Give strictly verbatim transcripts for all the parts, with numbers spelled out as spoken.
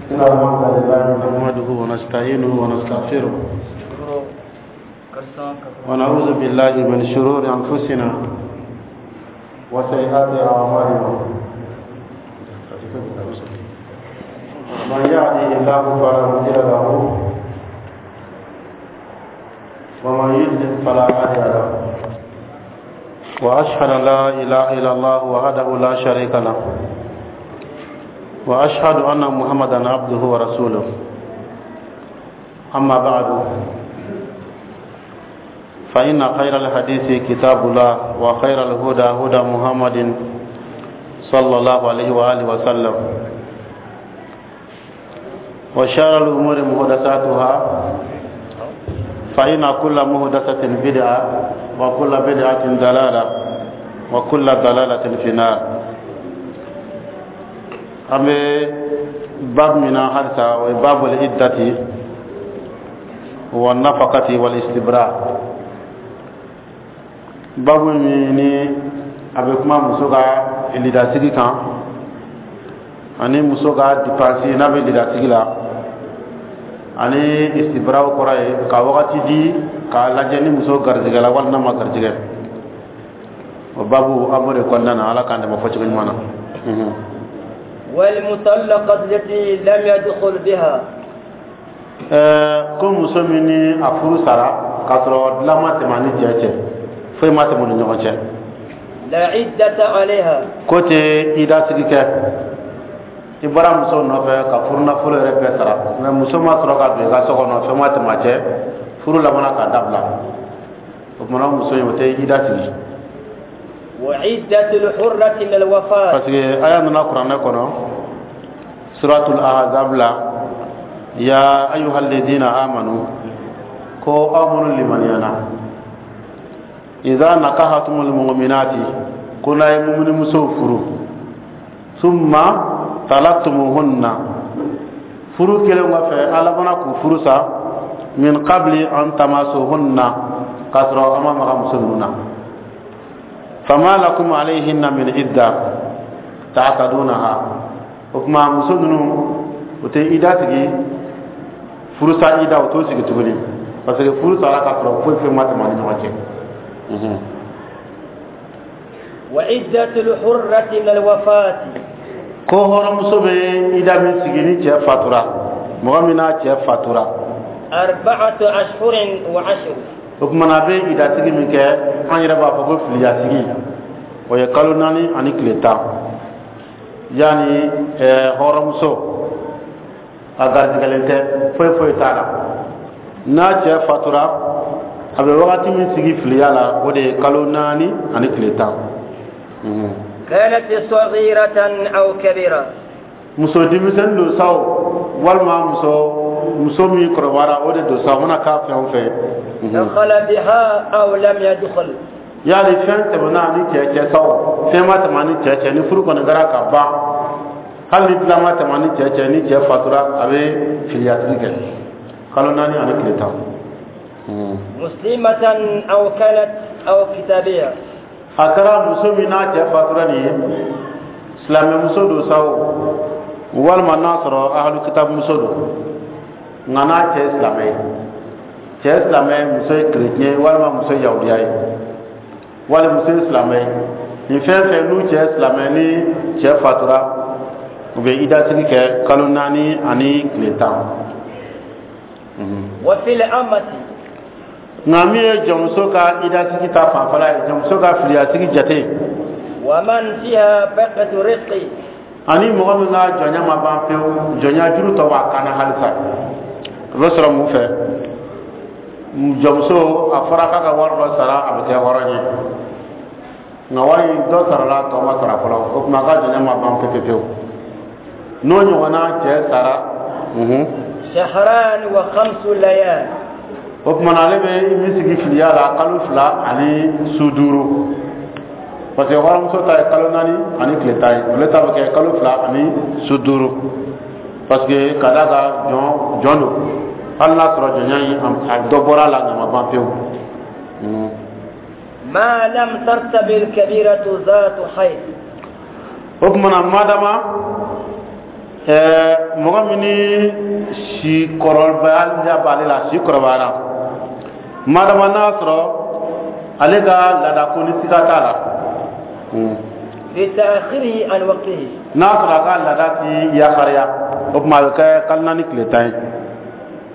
إن الحمد لله نحمده ونستعينه ونستغفره ونعوذ بالله من شرور أنفسنا وسيئات أعمالنا. من يهده الله فلا مضل له ومن يضلل فلا هادي له، وأشهد أن لا إله إلا الله وحده لا شريك له، وأشهد أن محمدا عبده ورسوله. أما بعد، فإن خير الحديث كتاب الله، وخير الهدى هدى محمد صلى الله عليه وآله وسلم، وشر الأمور محدثاتها، فإن كل محدثة بدعة، وكل بدعة ضلالة، وكل ضلالة في النار. An bɛ bab min na halisa, o ye babul iddati wa nafakati wal istibra. Babu min ni a bɛ kuma muso ka lidasigi kan ani muso ka dépense n'a bɛ lidasigi la, ani istibraw kɔrɔ ye ka wagati di k'a lajɛ ni muso garijɛgɛ la walima n'a ma garijɛgɛ. O babu, an b'o de kɔnɔna na. Ala k'an dɛmɛ fɔcogo ɲuman na. والمطلقة التي لم يدخل بها. Ɛɛ, ko muso min ni a furu sara k'a sɔrɔ dilan ma tɛmɛ a ni cɛ cɛ, foyi ma tɛmɛ u ni ɲɔgɔn cɛ. لا عدة عليها. Ko tɛ idasigi kɛ. I bɔra muso nɔfɛ ka furu nafolo yɛrɛ bɛɛ sara, mɛ muso ma sɔrɔ ka don i ka so kɔnɔ, fɛn ma tɛmɛ a cɛ, furu labanna k'a dabila. O kumana muso in, o tɛ ida sigi. وعدة الحرة من الوفاة. Parce que aya nana kuranɛ kɔnɔ, suratul ahzab la: ya ayuha alladhina amanu, ko aw minnu limaniyana, idha nakahatumul mu'minati, ko n'a ye mumini musow furu, summa talaktumuhunna, furu kelen kɔfɛ a labanna k'u furu sa, min qabli an tamasuhunna, k'a sɔrɔ an ma maga muso ninnu na, fama lakum alayhinna min idda ta'tadunaha. O tuma muso ninnu, o tɛ ida sigi, furusa ida o t'o sigi tuguni, parce que furu sara k'a sɔrɔ foyi foyi ma tɛmɛ a ni ɲɔgɔn cɛ. وعدة الحرة من الوفاة. Ko hɔrɔnmuso bɛ ida min sigi ni cɛ fatura, mɔgɔ min n'a cɛ fatura, أربعة أشهر وعشر. O tuma na a bɛ idasigi min kɛ, an yɛrɛ b'a fɔ ko filiyasigi, o ye kalo naani ani tile tan. Yanni ɛɛ hɔrɔnmuso a garijɛgɛlen tɛ, foyi foyi t'a la, n'a cɛ fatura, a bɛ wagati min sigi filiya la, o de ye kalo naani ani tile tan. كانت صغيرة أو كبيرة. Muso denmisɛnnin don sa o, walima muso muso min kɔrɔbayara o de don sa o, mana k'a fɛn o fɛn. دخل بها أو لم يدخل. Yali fɛn tɛmɛna ni cɛ cɛ sa o, fɛn ma tɛmɛ ni cɛ cɛ, ni furu kɔni kɛra ka ban, hali ni dilan ma tɛmɛ ni cɛ cɛ, ni cɛ fatura, a bɛ filiyatigi kɛ kalo naani ani tile tan. مسلمة أو كانت أو كتابية. A kɛra muso min n'a cɛ fatura nin ye, silamɛmuso don sa o, walima n'a sɔrɔ ahalu kitabu muso don, nka n'a cɛ ye silamɛ ye, cɛ ye silamɛ, muso ye chrétien ye, walima muso ye yahudiya ye, walima muso ye silamɛ ye, nin fɛn fɛn n'u cɛ ye silamɛ, ni cɛ fatura, u bɛ idasigi kɛ kalo naani ani tile tan. وفي الأمة. Nka min ye jɔnmuso ka idasigi ta fanfɛla ye, jɔnmuso ka filiyasigi jate, ومن فيها بقية رق. Ani mɔgɔ min ka jɔnya ma ban pewu, jɔnya juru tɔ b'a kan na halisa, o bɛ sɔrɔ mun fɛ? Jɔnmuso, a fɔra k'a ka wari dɔ sara, a bɛ kɛ hɔrɔn ye, nka wari in dɔ sarala, tɔ ma sara fɔlɔ. O tuma a ka jɔnya ma ban pewu pewu. N'o ɲɔgɔnna cɛ sara unhun شهران وخمس ليال. O tuma na ale bɛ min sigi filiya la, kalo fila ani su duuru, parce que hɔrɔnmuso ta ye kalo naani ani tile tan ye, ale ta bɛ kɛ kalo fila ani su duuru, parce que ka d'a kan jɔn jɔn don, hali n'a sɔrɔ jɔnya in a dɔ bɔra a la, nka a ma ban pewu. ما لم ترتب الكبيرة ذات حيض. O tuma na madama Ɛɛ, mɔgɔ min ni si kɔrɔbaya b'ale la, si kɔrɔbayara, madama n'a sɔrɔ ale ka laada ko ni siga t'a la. في تأخيره عن وقته. N'a sɔrɔ a ka laada ti yakariya, o tuma a bɛ kɛ kalo naani tile tan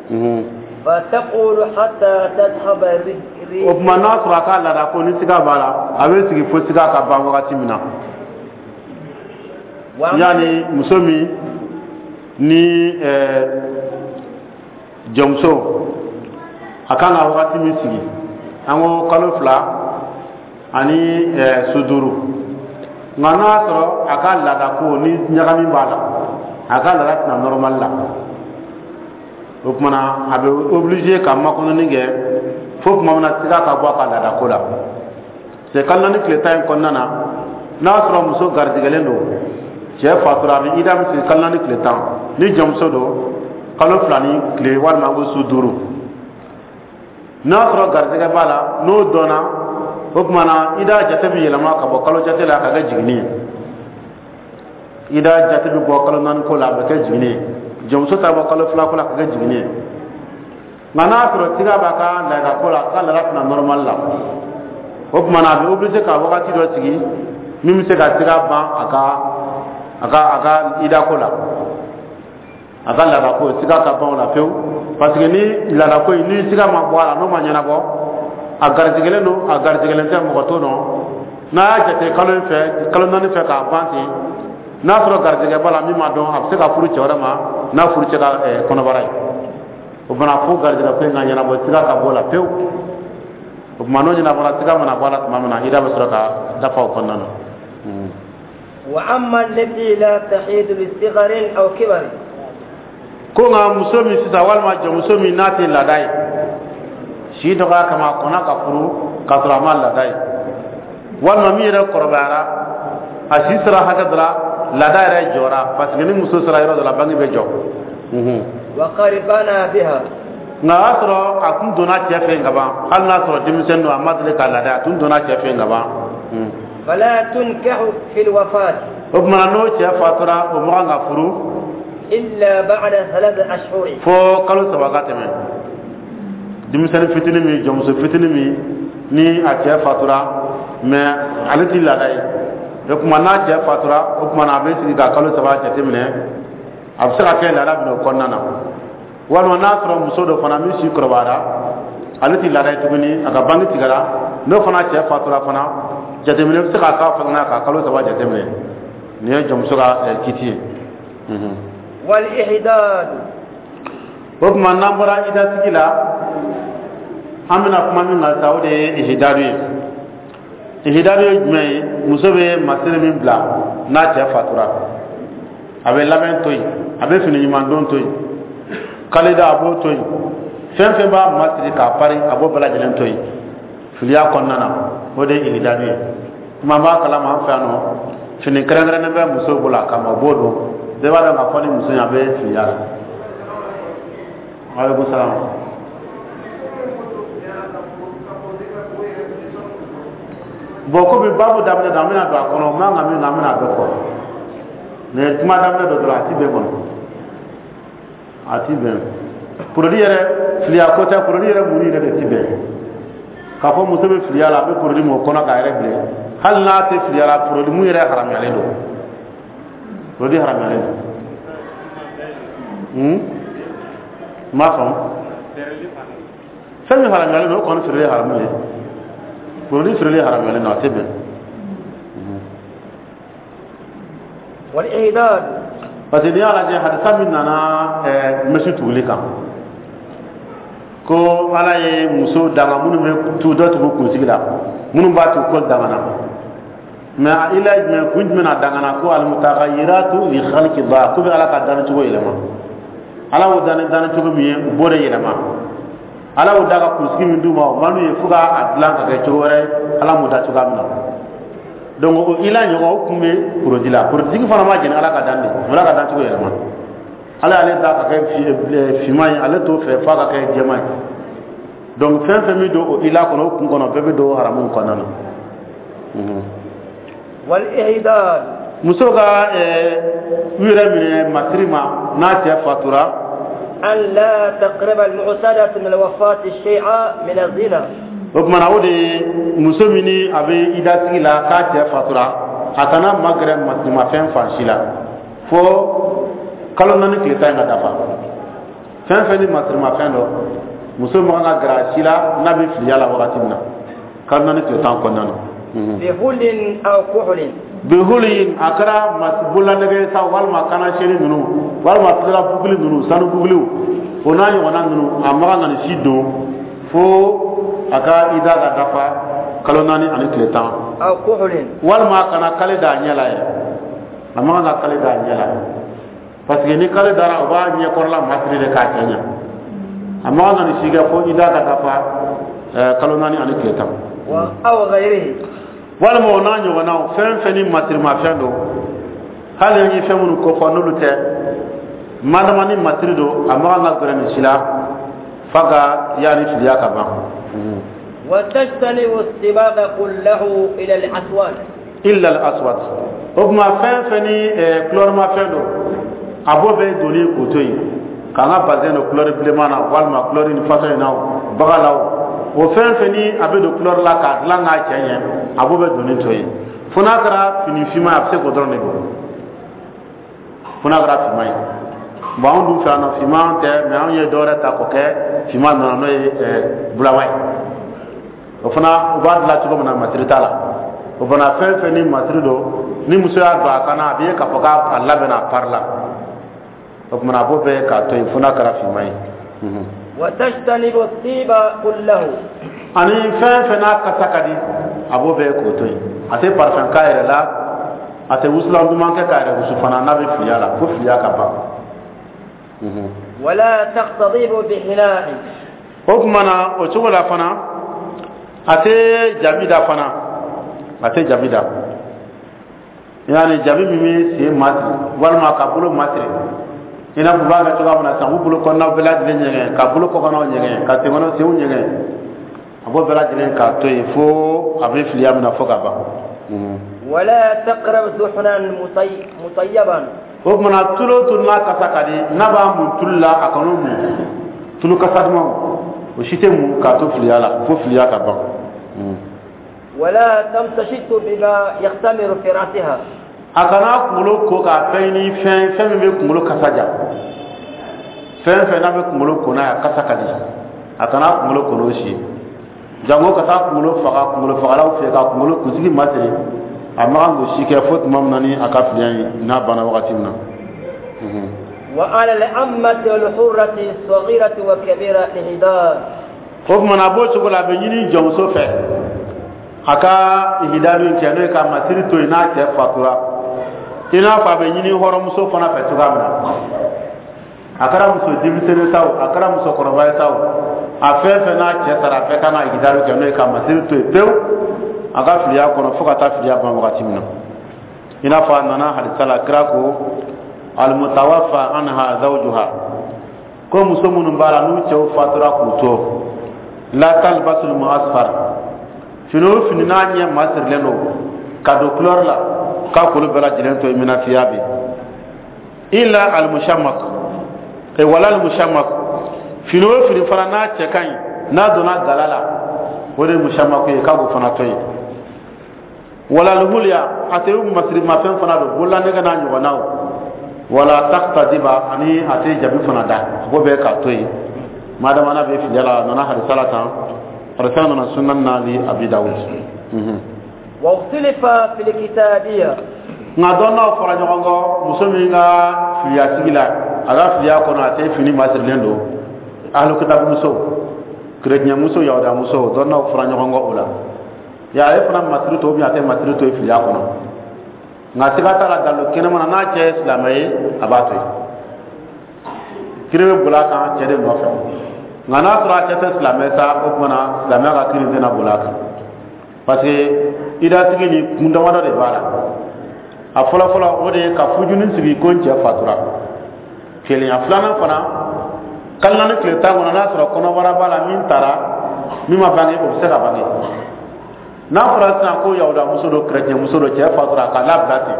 ye. فتقول حتى تذهب. O tuma n'a sɔrɔ a ka laada ko ni siga b'a la, a bɛ sigi fo siga ka ban wagati min na. Yanni muso min ni ɛɛ jɔnmuso, a kan ka wagati min sigi, an ko kalo fila ani ɛɛ su duuru. Nka n'a y'a sɔrɔ a ka laada ko ni ɲagami b'a la, a ka laada tɛna normal la, o tuma na a bɛ obligé ka makɔnɔni kɛ fo tuma min na siga ka bɔ a ka laada ko la. C'est kalo naani tile tan in kɔnɔna na, n'a y'a sɔrɔ muso garijɛgɛlen don, cɛ fatura, a bɛ ida bɛ sigi kalo naani tile tan. Ni jɔnmuso don, kalo fila ni tile walima ko su duuru. N'a sɔrɔ garijɛgɛ b'a la, n'o dɔnna, o tuma na ida jate bɛ yɛlɛma ka bɔ kalo jate la ka kɛ jiginni ye. Ida jate bɛ bɔ kalo naani ko la, a bɛ kɛ jiginni ye. Jɔnmuso ta bɔ kalo fila ko la ka kɛ jiginni ye. Nka n'a sɔrɔ siga b'a ka laada ko la, a ka laada tɛna normal la, o tuma na a bɛ obligé ka wagati dɔ sigi min bɛ se ka siga ban a ka a ka a ka ida ko la, a ka laada ko siga ka ban o la pewu. Parce que ni laada ko in ni siga ma bɔ a la, n'o ma ɲɛnabɔ, a garijɛgɛlen don, a garijɛgɛlen tɛ, mɔgɔ t'o dɔn. N'a y'a jate kalo in fɛ, kalo naani fɛ k'a ban ten, n'a sɔrɔ garijɛgɛ b'a la min ma dɔn, a bɛ se ka furu cɛ wɛrɛ ma n'a furu cɛ ka kɔnɔbara ye. O fana, fo garijɛgɛ ko in ka ɲɛnabɔ, siga ka bɔ o la pewu. O tuma n'o ɲɛnabɔra, siga mana bɔ a la tuma min na, ida bɛ sɔrɔ ka dafa o kɔnɔna na. وأما التي لا تحيد لصغر أو كبر. Ko nka muso min sisan, walima jɔnmuso min n'a tɛ laada ye, si dɔgɔya kama a kɔnna ka furu k'a sɔrɔ a ma laada ye, walima min yɛrɛ kɔrɔbayara, a si sera hakɛ dɔ la, laada yɛrɛ jɔra, parce que ni muso sera yɔrɔ dɔ la, bange bɛ jɔ. وقد بنى بها. Nka o y'a sɔrɔ a tun donna cɛ fɛ yen ka ban, hali n'a sɔrɔ denmisɛnnin don, a ma deli ka laada, a tun donna cɛ fɛ yen ka ban. فلا تنكح في الوفاة. O tuma na n'o cɛ fatura, o ma kan ka furu إلا بعد ثلاثة أشهر. fo kalo saba ka tɛmɛ. Denmisɛnnin fitinin min, jɔnmuso fitinin min ni a cɛ fatura, mais ale ti laada ye, o tuma n'a cɛ fatura, o tuma na a bɛ sigi ka kalo saba jateminɛ, a bɛ se ka kɛ laada bɛna o kɔnɔna na. Walima n'a sɔrɔ muso dɔ fana min si kɔrɔbayara, ale ti laada ye tuguni, a ka bange tigɛra, n'o fana cɛ fatura fana, jateminɛ bɛ se ka k'a fana ka kalo saba jateminɛ. Nin ye jɔnmuso ka kiti ye. والإحداد. O tuma n'an bɔra idasigi la, an bɛna kuma min kan sa, o de ye ihidadu ye. Ihidadu ye jumɛn ye? Muso bɛ masiri min bila n'a cɛ fatura, a bɛ labɛn to yen, a bɛ fini ɲuman don to yen, kalida a b'o to yen, fɛn fɛn b'a masiri k'a pari, a b'o bɛɛ lajɛlen to yen filiya kɔnɔna na, o de ye ihidadu ye. Kuma b'a kalama, an fɛ yan nɔ, fini kɛrɛnkɛrɛnnen bɛ musow bolo a kama, o b'o don, bɛɛ b'a dɔn k'a fɔ ni muso in a bɛ filiya la. Aleykum salaam. Bon, komi baabu daminɛ don, an bɛna don a kɔnɔ, man ka min na, an bɛna a bɛɛ fɔ. Mais kuma daminɛ dɔ dɔrɔn, a ti bɛn kɔnɔ, a ti bɛn. Produit yɛrɛ filiya ko tɛ, produit yɛrɛ mun yɛrɛ de ti bɛn. K'a fɔ muso bɛ filiya la, a bɛ produit mun kɔnɔ k'a yɛrɛ bilen, hali n'a tɛ filiya la, produit mun yɛrɛ haramuyalen don, produit haramuyalen don. Hmm? N m'a faamu. Fɛn min haramuyalen don, o kɔni feereli ye haramu ye. Produit feereli haramuyalen don, a tɛ bɛn. والإعداد. Parce que n'i y'a lajɛ, hadisa min nana ɛɛ mèche tuguli kan, ko Ala ye muso danga minnu bɛ tu dɔ tugu kunsigi la, minnu b'a tugu ko dangana, mais a ila ye jumɛn, kun jumɛn na dangana? Ko almutaghayyiratu li khalqillah, ko bɛ Ala ka danni cogo yɛlɛma. Ala y'o danni danni cogo min ye, u b'o de yɛlɛma. Ala y'o da ka kunsigi min d'u ma, o man d'u ye fo k'a dilan ka kɛ cogo wɛrɛ, Ala m'o da cogoya min na. Donc o ila ɲɔgɔn o kun bɛ produit la. Produit fana ma jɛni Ala ka dan de, o Ala ka dan cogo yɛlɛma. Ala y'ale da ka kɛ finman ye, ale t'o fɛ f'a ka kɛ jɛman ye. Donc fɛn fɛn bɛ don o ila kɔnɔ, o kun kɔnɔ, bɛɛ bɛ don haramu kɔnɔna na. والإعداد. Muso ka u yɛrɛ minɛ masiri ma n'a cɛ fatura. أن لا تقرب المعتدة من الوفاة الشيء من الزينة. O tuma na, o de ye muso min ni a bɛ idasigi la k'a cɛ fatura, a kana magɛrɛ masirimafɛn fan si la fo kalo naani tile tan in ka dafa. Fɛn fɛn ni masirimafɛn dɔ, muso man kan ka gɛrɛ a si la n'a bɛ filiya la wagati min na, kalo naani tile tan kɔnɔna na. بحل أو كحل. Bihuli, a kɛra bololanɛgɛ sa, walima kanasɛni ninnu, walima tilela buguli ninnu, sanu buguliw, o n'a ɲɔgɔnna ninnu, a man kan ka nin si don fo a ka ida ka dafa kalo naani ani tile tan. أو كحل. Walima a kana kale da a ɲɛ la yɛrɛ. A man kan ka kale da a ɲɛ la, parce que ni kale dara, o b'a ɲɛkɔrɔla masiri de k'a cɛ ɲɛ. A man kan ka nin si kɛ fo ida ka dafa kalo naani ani tile tan. أو غيره. Walima o n'a ɲɔgɔnnaw, fɛn fɛn ni masirimafɛn don, hali an ye fɛn minnu kofɔ, n'olu tɛ, madama ni masiri don, a man kan ka gɛrɛ nin si la f'a ka yaani filiya ka ban. وتجتنب الصباغ كله إلا الأسود. إلا الأسود. O tuma, fɛn fɛn ni kulɔrimafɛn don, a b'o bɛɛ donni k'o to yen, k'an ka bazɛn don kulɔri bilenman na, walima kulɔri ni fasɔn in na, baga la, o fɛn fɛn ni a bɛ don kulɔri la k'a dilan k'a cɛ ɲɛ, a b'o bɛɛ donni to yen, fo n'a kɛra fini finman ye. A bɛ se k'o dɔrɔn de don, fo n'a kɛra finman ye. Bon, anw dun fɛ yan nɔ, finman tɛ, mɛ anw ye dɔwɛrɛ ta k'o kɛ finman nɔ, n'o ye bulama ye. O fana, u b'a dilan cogo min na, masiri t'a la. O fana, fɛn fɛn ni masiri don, ni muso y'a don a kan na, a bɛ ye k'a fɔ k'a labɛnna, a pari la. O tuma, a b'o bɛɛ k'a to yen fo n'a kɛra finman ye. وتجتنب الطيب كله. Ani fɛn fɛn n'a kasa ka di, a b'o bɛɛ k'o to yen. A tɛ parfum k'a yɛrɛ la, a tɛ wusulan duman kɛ k'a yɛrɛ wusu fana n'a bɛ filiya la, fo filiya ka ban. ولا تختضب بحناء. O tuma na, o cogo la fana, a tɛ jabi da fana, a tɛ jabi da, yaani jabi min bɛ sen masiri walima ka bolo masiri, i n'a fɔ u b'a kɛ cogoya min na sisan, k'u bolo kɔnɔnaw bɛɛ lajɛlen ɲɛgɛn, ka bolo kɔkannaw ɲɛgɛn, ka senkɔnɔ senw ɲɛgɛn, a b'o bɛɛ lajɛlen k'a to yen fo a bɛ filiya min na fo ka ban. ولا تقرب دهنا مطيبا. O tuma na, tulu o tulu n'a kasa ka di, n'a b'a mun tulu la, a kan'o mun. Tulu kasa dumanw, o si tɛ mun k'a to filiya la fo filiya ka ban. ولا تمتشط بما يختمر في رأسها. A kana kunkolo ko k'a fɛn ni fɛn fɛn min bɛ kunkolo kasa ja. Fɛn fɛn n'a bɛ kunkolo ko n'a ye, a kasa ka di, a kana kunkolo ko n'o si ye. Jango ka taa kunkolo faga kunkolo fagalaw fɛ ka kunkolo kunsigi masiri, a ma kan k'o si kɛ fo tuma min na ni a ka filiya in n'a banna wagati min na. وعلى الأمة والحرة الصغيرة والكبيرة الإحداد. O tuma na, a b'o cogo la, a bɛ ɲini jɔnmuso fɛ a ka ihidadu in kɛ, n'o ye ka masiri to yen n'a cɛ fatura, i n'a fɔ a bɛ ɲini hɔrɔnmuso fana fɛ cogoya min na. A kɛra muso denmisɛnnin sa o, a kɛra musokɔrɔba ye sa o, a fɛn fɛn n'a cɛ sara, a bɛɛ kan ka ihidadu kɛ, n'o ye ka masiri to yen pewu a ka filiya kɔnɔ fo ka taa filiya ban wagati min na. I n'a fɔ a nana hadisa la, kira ko: المتوفى عنها زوجها, ko muso minnu b'a la n'u cɛw fatura k'u to, لا تلبس المعصفر, fini o fini n'a ɲɛ masirilen don ka don couleur la, k'a k'olu bɛɛ lajɛlen to yen من الثياب إلا المشمخ e ولا المشمخ. Fini o fini fana n'a cɛ ka ɲi, n'a donna gala la, o de ye مشمخ ye, k'a k'o fana to yen. ولا الحلي, a tɛ masirimafɛn fana don, bololanɛgɛ n'a ɲɔgɔnnaw. ولا تختضب, ani a tɛ jabi fana da, a b'o bɛɛ k'a to yen madama n'a bɛ filiya la. A nana hadisa la tan, hadisa nana سنن na لأبي داود. واختلف في الكتابية. Nka dɔnnaw fɔra ɲɔgɔn kɔ, muso min ka filiya sigi la, a ka filiya kɔnɔ, a tɛ fini masirilen don, ahlu kitabu muso, kerecɛn muso, yahuda muso, dɔnnaw fɔra ɲɔgɔn kɔ o la. Ya ale fana masiri to, a tɛ masiri to yen filiya kɔnɔ. Nka siga t'a la, dalu kɛnɛma na, n'a cɛ ye silamɛ ye, a b'a to yen, kiri bɛ boli a kan cɛ de nɔfɛ. Nka n'a sɔrɔ a cɛ tɛ silamɛ sa, o tuma na silamɛya ka kiri tɛna boli a kan, parce que idasigi ni kun damadɔ de b'a la. A fɔlɔfɔlɔ, o de ye ka fujuni sigi ko n cɛ fatura, kelen. A filanan fana, kalo naani tile tan kɔnɔ, n'a sɔrɔ kɔnɔbara b'a la min taara, min ma bange, o bɛ se ka bange. N'a fɔra sisan ko yahuda muso don, kerecɛn muso don, cɛ fatura, k'a labila ten,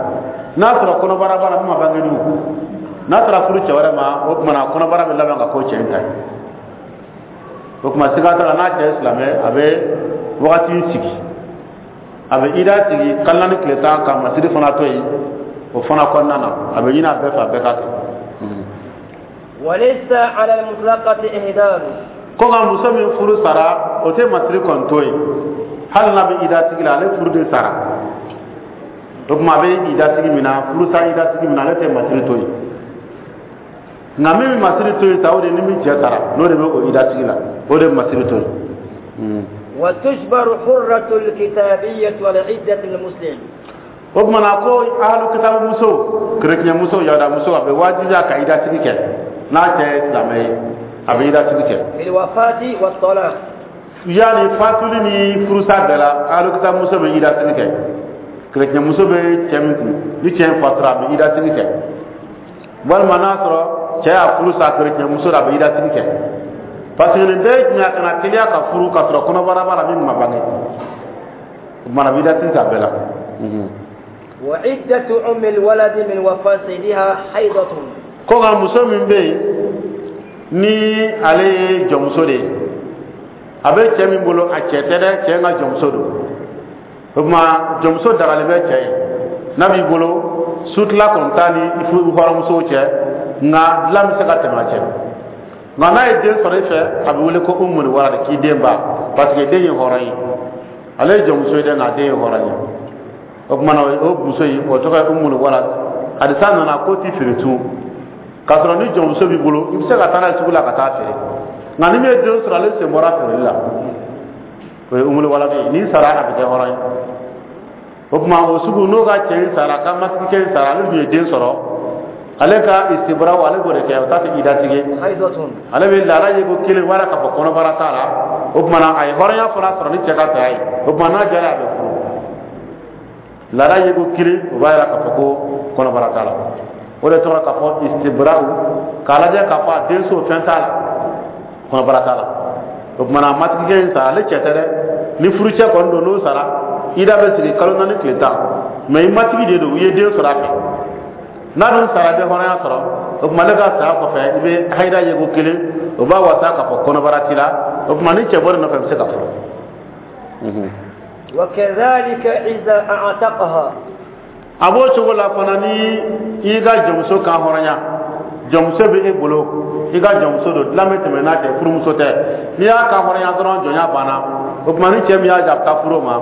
N'a sɔrɔ kɔnɔbara b'a la min ma bange dun, n'a taara furu cɛ wɛrɛ ma, o tuma na kɔnɔbara bɛ laban ka k'o cɛ in ta ye. O tuma siga t'a la, n'a cɛ ye silamɛ, a bɛ wagati sigi, a bɛ ida sigi kalo naani tile tan, ka masiri fana to yen. O fana kɔnɔna na, a bɛ ɲini a bɛɛ fɛ, a bɛɛ ka kɛ. وليس على المطلقة إهدار. Ko nka muso min furu sara, o tɛ masiri kɔni to yen. Hali n'a bɛ ida sigi la, ale furu de sara. O tuma a bɛ ida sigi min na, furusa ida sigi min na, ale tɛ masiri to yen. Nka min bɛ masiri to yen sa, o de ni min cɛ sara, n'o de bɛ o ida sigi la, o de bɛ masiri to yen. وتجبر حرة الكتابية على عدة المسلم. O tuma na ko ahlu kitabu muso, kerecɛn muso, yahuda muso, a bɛ wajibiya ka ida sigi kɛ. N'a cɛ ye silamɛ ye, a bɛ ida sigi kɛ. في الوفاة والطلاق. Yani fatuli ni furusa bɛɛ la, ahlu kitabu muso bɛ ida sigi kɛ. Kerecɛn muso bɛ cɛ min kun, ni cɛ in fatura, a bɛ ida sigi kɛ. Walima n'a sɔrɔ cɛ y'a furu sa kerecɛn muso la, a bɛ ida sigi kɛ. Parce que nin bɛɛ ye jumɛn ye? A kana teliya ka furu ka sɔrɔ kɔnɔbara b'a la min ma bange. O tuma na a bɛ ida sigi kɛ a bɛɛ la. وعدة أم الولد من وفاة سيدها حيضة. Ko nka muso min bɛ yen ni ale ye jɔnmuso de ye, a bɛ cɛ min bolo, a cɛ tɛ dɛ, cɛ in ka jɔnmuso don. O tuma jɔnmuso dagalen bɛ cɛ ye. N'a b'i bolo, sutila kɔni t'a ni hɔrɔnmusow cɛ, nka dilan bɛ se ka tɛmɛ a cɛ. Nka n'a ye den sɔrɔ i fɛ, a bɛ wele ko umul walad, k'i den ba, parce que den ye hɔrɔn ye. Ale ye jɔnmuso ye dɛ, nka den ye hɔrɔn ye. O tuma na o muso in, o tɔgɔ ye umul walad. Hadisa nana k'o ti feere tun. K'a sɔrɔ ni jɔnmuso b'i bolo, i bɛ se ka taa n'a ye sugu la ka taa feere. Nka ni min ye den sɔrɔ, ale sen bɔra feereli la. O ye umul walad ye. N'i sara, a bɛ kɛ hɔrɔn ye. O tuma o sugu, n'o ka cɛ in sara, ka matigikɛ in sara, ale dun ye den sɔrɔ, ale ka istibaraw, ale b'o de kɛ. O t'a kɛ idatigi ye. حيضة. Ale bɛ laada ye ko kelen wala k'a fɔ kɔnɔbara t'a la. O tuma na a ye hɔrɔnya fana sɔrɔ ni cɛ ka saya ye. O tuma n'a jara, a bɛ furu. Laada ye ko kelen, o b'a yira k'a fɔ ko kɔnɔbara t'a la. O de tɔgɔ k'a fɔ istibaraw, k'a lajɛ k'a fɔ a den so fɛn t'a la, kɔnɔbara t'a la. O tuma na matigikɛ in sara, ale cɛ tɛ dɛ. Ni furucɛ kɔni don, n'o sara, ida bɛ sigi kalo naani tile tan. Mɛ i matigi de don, i ye den sɔrɔ a fɛ. N'a dun sara, i bɛ hɔrɔnya sɔrɔ. O tuma ale ka saya kɔfɛ, i bɛ hayida ye ko kelen, o b'a wasa k'a fɔ kɔnɔbara t'i la. O tuma ni cɛ bɔr'i nɔfɛ, i bɛ se ka furu. وكذلك إذا أعتقها. A b'o cogo la fana, ni i ka jɔnmuso kan hɔrɔnya, jɔnmuso bɛ e bolo, i ka jɔnmuso don, dilan bɛ tɛmɛ n'a cɛ, furumuso tɛ. N'i y'a kan hɔrɔnya dɔrɔn, jɔnya banna. O tuma ni cɛ min y'a ja, a bɛ taa furu o ma.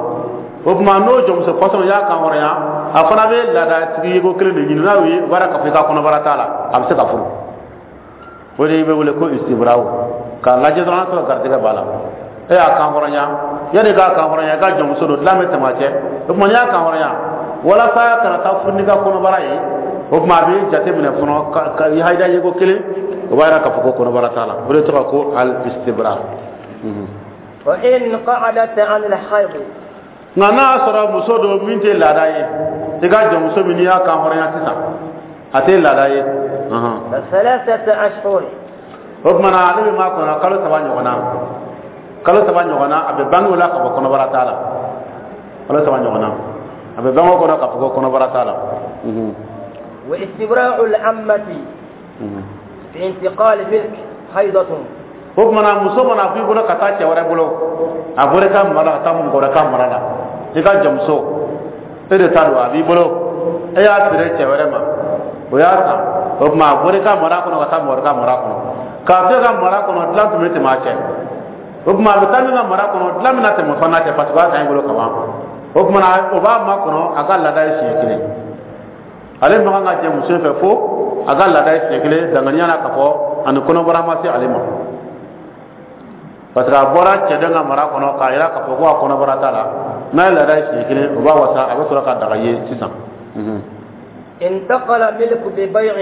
O tuma n'o jɔnmuso fasɔn y'a kan hɔrɔnya, a fana bɛ laada sigi ko kelen de ɲini. N'a y'o ye, o b'a k'a fɔ i ka kɔnɔbara t'a la, a bɛ se ka furu. O de bɛ wele ko istibaraw. K'a lajɛ dɔrɔn, n'a sɔrɔ garijɛgɛ b'a la, e y'a kan hɔrɔnya. Yanni k'a kan hɔrɔnya, i ka jɔnmuso don, dilan bɛ tɛmɛ a cɛ. O tuma n'i y'a kan hɔrɔnya, walasa kana taa furu n'i ka kɔnɔbara ye, o tuma a bɛ jate minɛ fɔlɔ ka ka i hayida ye ko kelen, o b'a yira k'a fɔ ko kɔnɔbara t'a la. O de tɔgɔ ko al istibra. وإن قعدت عن الحيض. Nka n'a y'a sɔrɔ muso don min tɛ laada ye, i ka jɔnmuso min n'i y'a kan hɔrɔnya sisan, a tɛ laada ye. فثلاثة أشهر. O tuma na ale bɛ maa kɔnɔ kalo saba ɲɔgɔn na. Kalo saba ɲɔgɔn na, a bɛ bange o la k'a fɔ kɔnɔbara t'a la. Kalo saba ɲɔgɔn na, a bɛ bange o kɔnɔ k'a fɔ ko kɔnɔbara t'a la. واستبراء العمة في انتقال ملك حيضة. O tuma na muso mana bɔ i bolo ka taa cɛ wɛrɛ bolo, a bɔra i ka mara la ka taa mɔgɔ wɛrɛ ka mara la, i ka jɔnmuso, e de ta don, a b'i bolo, e y'a feere cɛ wɛrɛ ma, o y'a san. O tuma a bɔra i ka mara kɔnɔ ka taa mɔgɔ wɛrɛ ka mara kɔnɔ. K'a to e ka mara kɔnɔ, dilan tun bɛ tɛmɛ a cɛ. O tuma a bɛ taa min ka mara kɔnɔ, dilan bɛna tɛmɛ o fana cɛ, parce que o y'a san i bolo ka ban. O tuma na o b'a makɔnɔ a ka laada ye siɲɛ kelen. Ale man kan ka jɛ muso fɛ fo a ka laada ye siɲɛ kelen, danganiya na k'a fɔ ani kɔnɔbara ma se ale ma, parce que a bɔra cɛden ka mara kɔnɔ k'a yira k'a fɔ ko a kɔnɔbara t'a la. N'a ye laada ye siɲɛ kelen, o b'a wasa, a bɛ sɔrɔ ka daga ye sisan. انتقل ملك ببيع.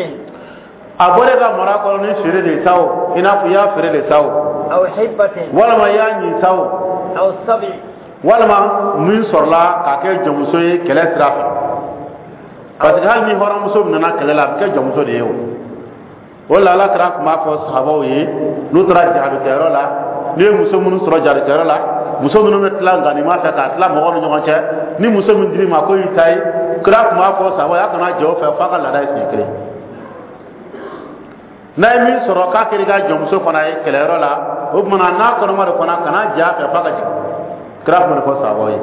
A bɔra e ka mara kɔnɔ ni feere de sa o, i n'a fɔ i y'a feere de sa o, أو حبة. Walima i y'a ɲin sa o, أو سبي. Walima min sɔrɔla k'a kɛ jɔnmuso ye kɛlɛ sira fɛ. Parce que hali ni hɔrɔnmuso nana kɛlɛ la, a bɛ kɛ jɔnmuso de ye. O o la, Ala kɛra tun b'a fɔ sahabaw ye, n'u taara jihadikɛyɔrɔ la, n'u ye muso minnu sɔrɔ jihadikɛyɔrɔ la, muso minnu bɛ tila ganima fɛ k'a tila mɔgɔw ni ɲɔgɔn cɛ, ni muso min dir'i ma ko y'i ta ye, Kira tun b'a fɔ sahaba y'a kana jɛ o fɛ f'a ka laada ye siɲɛ kelen. N'a ye min sɔrɔ k'a kɛra i ka jɔnmuso fana ye kɛlɛyɔrɔ la, o tuma na n'a kɔnɔma don fana, kana jɛ a fɛ f'a ka jigin. Kira tun b'o de fɔ sahabaw ye.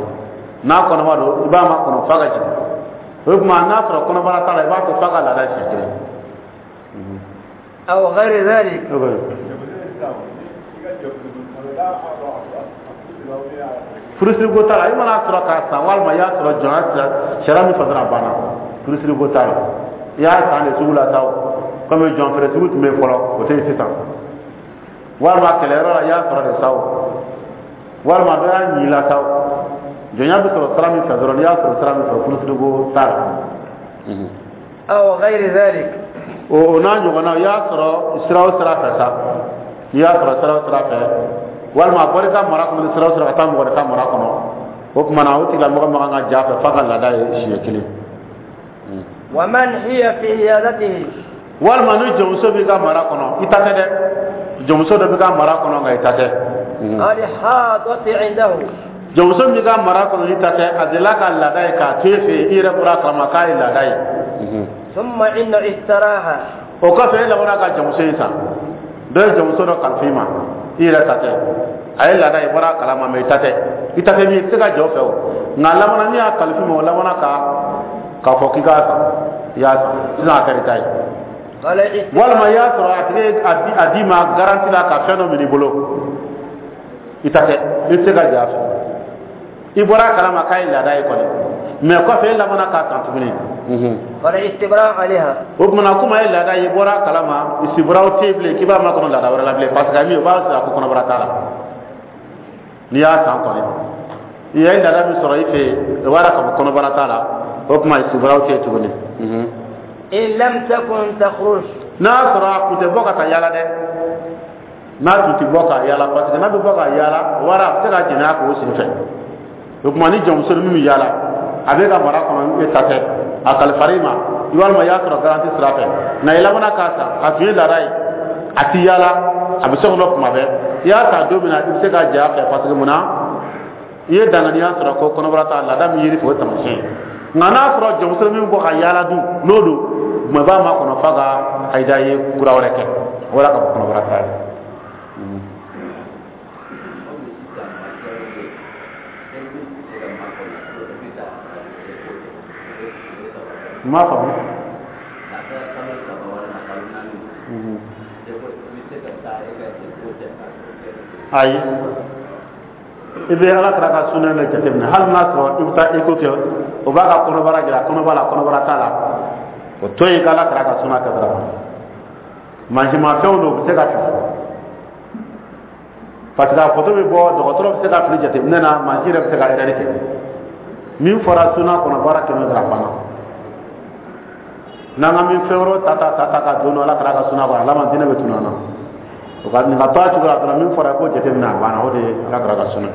N'a kɔnɔma don, i b'a makɔnɔ f'a ka jigin. O tuma n'a sɔrɔ kɔnɔbara t'a la, i b'a to f'a ka laada siɲɛ kelen. أو غير ذلك. Furusiriko t'a la. I mana sɔrɔ k'a san walima i y'a sɔrɔ jɔnya sira, sariya min fɔ dɔrɔn, a banna. Furusiriko t'a la. I y'a san de sugu la sa o, komi jɔn feere sugu tun bɛ yen fɔlɔ, o tɛ yen sisan, walima kɛlɛyɔrɔ la i y'a sɔrɔ de sa o, walima dɔ y'a ɲi la sa o, jɔnya bɛ sɔrɔ sira min fɛ dɔrɔn, n'i y'a sɔrɔ sira min fɛ, furusiriko t'a la. أو غير ذلك. O o n'a ɲɔgɔnna, i y'a sɔrɔ sira o sira fɛ sa, n'i y'a sɔrɔ sira o sira fɛ, walima a bɔra i ka mara kɔnɔ ni sira o sira ka taa mɔgɔ wɛrɛ ka mara kɔnɔ, o tuma na o tigilamɔgɔ man kan ka jɛ a fɛ f'a ka laada ye siɲɛ kelen. ومن هي في حيازته. Walima ni jɔnmuso b'i ka mara kɔnɔ, i ta tɛ dɛ, jɔnmuso dɔ b'i ka mara kɔnɔ nka i ta tɛ. الحاضة عنده. Jɔnmuso min b'i ka mara kɔnɔ n'i ta tɛ, a delila ka laada ye k'a to e fɛ yen, i yɛrɛ bɔra a kalama k'a ye laada ye. ثم إن اشتراها. O kɔfɛ e labanna ka jɔnmuso in san. Dɔ ye jɔnmuso dɔ kalifa i ma, i yɛrɛ ta tɛ, a ye laada ye, i bɔra a kalama, mɛ i ta tɛ. I ta tɛ min, i tɛ se ka jɔ o fɛ o. Nka a labanna min y'a kalifa i ma, o labanna ka k'a fɔ k'i k'a san, i y'a san sisan, a kɛra i ta ye. Walima i y'a sɔrɔ a tigi ye a di a d'i ma garantie la ka fɛn dɔ minɛ i bolo, i ta tɛ, i tɛ se ka jɛ a fɛ. I bɔra a kalama k'a ye laada ye kɔni, mɛ kɔfɛ e labanna k'a san tuguni. فالاستبراء عليها. O tuma na komi a ye laada ye, i bɔra a kalama, istiburaw tɛ yen bilen k'i b'a makɔnɔ laada wɛrɛ la bilen, parce que a min o b'a sɔrɔ a ko kɔnɔbara t'a la. N'i y'a san kɔni, i ye laada min sɔrɔ i fɛ yen, o b'a yira k'a fɔ kɔnɔbara t'a la. O tuma istiburaw tɛ yen tuguni. إن لم تكن تخرج. N'a sɔrɔ a tun tɛ bɔ ka taa yala dɛ, n'a tun tɛ bɔ ka yala, parce que n'a bɛ bɔ ka yala, o wari a bɛ se ka jɛnɛya k'o sen fɛ. O tuma ni jɔnmuso min bɛ yala, a bɛ ka mara kɔnɔ, e ta tɛ, a kalifara i ma, walima i y'a sɔrɔ garantie sira fɛ, nka i labanna k'a san, a tun ye laada ye, a ti yala, a bɛ so kɔnɔ kuma bɛɛ. I y'a ta don min na, i bɛ se ka jɛ a fɛ, parce que munna? I ye danganiya sɔrɔ ko kɔnɔbara t'a laada min yiri fɛ, o taamasiyɛn ye. Nka n'a sɔrɔ jɔnmuso min bɔ ka yala dun, n'o don, tuma i b'a makɔnɔ f'a ka ayida ye kura wɛrɛ kɛ, o wɛrɛ ka bɔ kɔnɔbara t'a la. N m'a faamu. Ayi, i bɛ Ala kira ka sunna de jateminɛ. Hali n'a sɔrɔ i bɛ taa eko kɛ, o b'a ka kɔnɔbara jira, kɔnɔbara la, kɔnɔbara t'a la, o to yen k'Ala kira ka sunna kɛ dɔrɔn. Mansimafɛnw don, u bɛ se ka fili, parce que a photo bɛ bɔ, dɔgɔtɔrɔ bɛ se ka fili jateminɛ na, mansin yɛrɛ bɛ se ka erreur kɛ. Min fɔra sunna kɔnɔ, baara kɛmɛ dɔrɔn, a banna. N'an ka min fɛn wɛrɛw ta ta ta ta ka don Ala kira ka sunna kɔnɔ, ala ma diinɛ bɛ tunu an na. O ka nin ka to a cogo la dɔrɔn. Min fɔra ko jateminɛ, a banna, o de ye Ala kira ka sunna.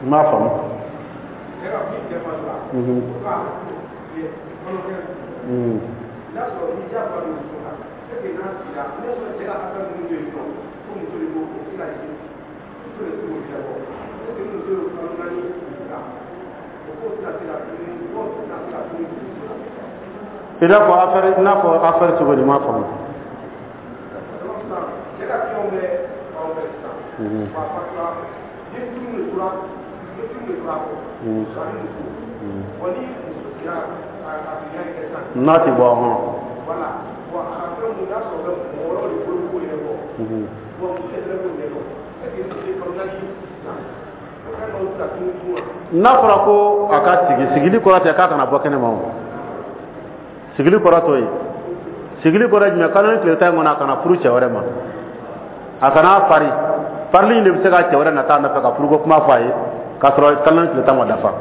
N m'a faamu. Mm. I n'a fɔ affaire, i n'a fɔ affaire cogo di? N m'a faamu. Mhm. Mhm. N'a ti bɔ hɔn. Mhm. N'a fɔra ko a ka sigi, sigili kɔrɔ tɛ k'a kana bɔ kɛnɛ ma o. Sigili kɔrɔ t'o ye. Sigili kɔrɔ ye jumɛn? Kalo ni tile tan in kɔnɔ, a kana furu cɛ wɛrɛ ma, a kana pari. Parili in de bɛ se ka cɛ wɛrɛ nata a nɔfɛ ka furuko kuma fɔ a ye k'a sɔrɔ kalo ni tile tan ma dafa.